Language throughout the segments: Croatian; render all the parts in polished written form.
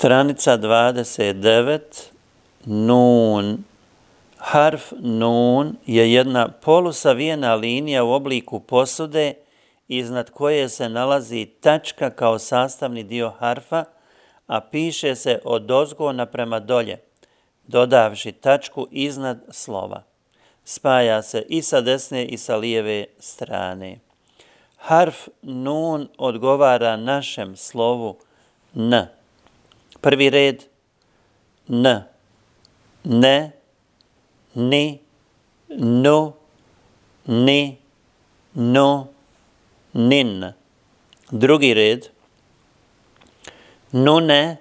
Stranica 29, nun. Harf nun je jedna polusavijena linija u obliku posude iznad koje se nalazi tačka kao sastavni dio harfa, a piše se odozgo naprema dolje, dodavši tačku iznad slova. Spaja se i sa desne i sa lijeve strane. Harf nun odgovara našem slovu N. Prvi red N, ne, ni, nu, ni, nu, nin. Drugi red nune,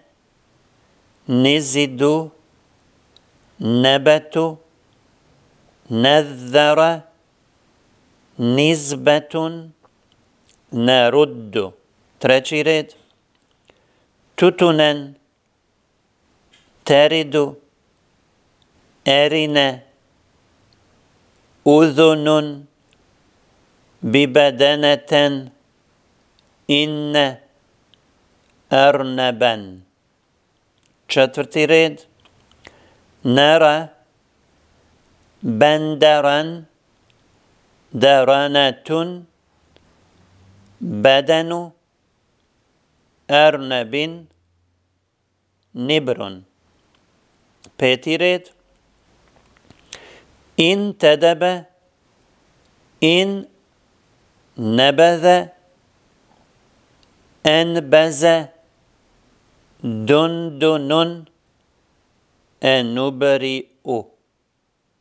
nizidu, nebetu, nezzara, nizbetun, neruddu. Treći red tutunen, teridu, erine, udhunun, bibedeneten, inne, erneben. Četvrti red nera, benderan, deranetun, bedenu, ernebin, nibrun. Peti red in tedebe, in nebeze, enbeze, dundunun, enuberiu.